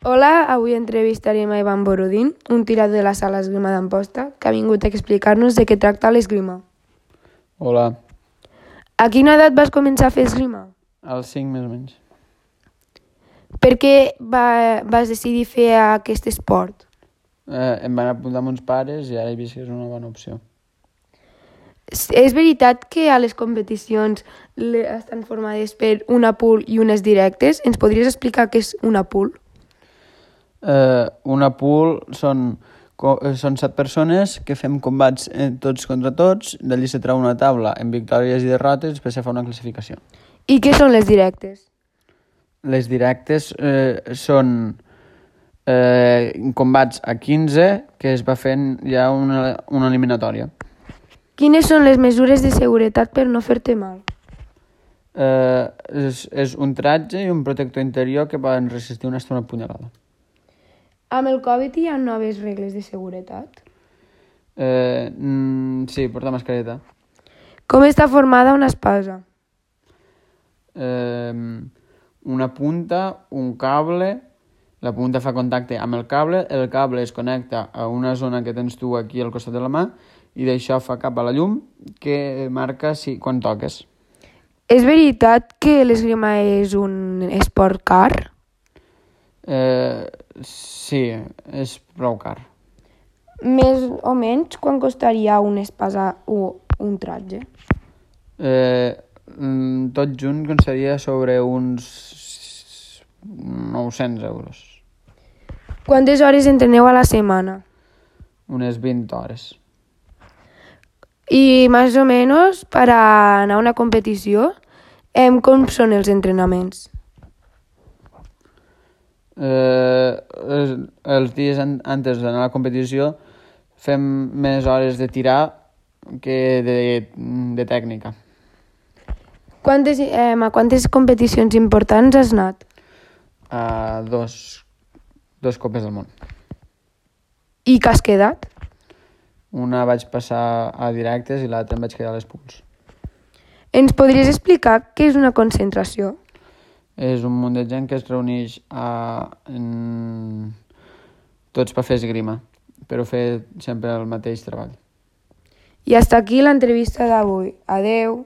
Hola, avui entrevistarem a Ivan Borodín, un tirador de la sala Esgrima d'Amposta, que ha vingut a explicar-nos de què tracta l'esgrima. Hola, A quina edat vas començar a fer esgrima? als 5 més o menys. Per què vas decidir fer aquest esport? Em van apuntar amb uns pares i ara he vist que és una bona opció. És veritat que a les competicions estan formades per una pool i unes directes? Ens podries explicar què és una pool? Una pool són 7 persones que fem combats tots contra tots, d'allí se treu una taula amb victòries i derrotes i després se fa una classificació. I què són les directes? Les directes són combats a 15 que es va fent ja una eliminatòria. Quines són les mesures de seguretat per no fer-te mal? És un tratge i un protector interior que poden resistir una estona punyalada. Amb el Covid hi ha noves regles de seguretat? Sí, portar mascareta. Com està formada una espasa? Una punta, un cable, la punta fa contacte amb el cable es connecta a una zona que tens tu aquí al costat de la mà i d'això fa cap a la llum que marca quan toques. És veritat que l'esgrima és un esport car? Sí, és prou car. Més o menys, quan costaria una espasa o un tratge? Tot junt costaria sobre uns 900 euros. Quantes hores entreneu a la setmana? Unes 20 hores. I més o menys, per anar a una competició, com són els entrenaments? Els dies antes d'anar a la competició fem més hores de tirar que de tècnica. A quantes competicions importants has anat? A dos copes del món. I que has quedat? Una vaig passar a directes i l'altra em vaig quedar a les pools. Ens podries explicar què és una concentració? És un munt de gent que es reuneix tots per fer esgrima, però fer sempre el mateix treball. I hasta aquí l'entrevista d'avui. Adeu!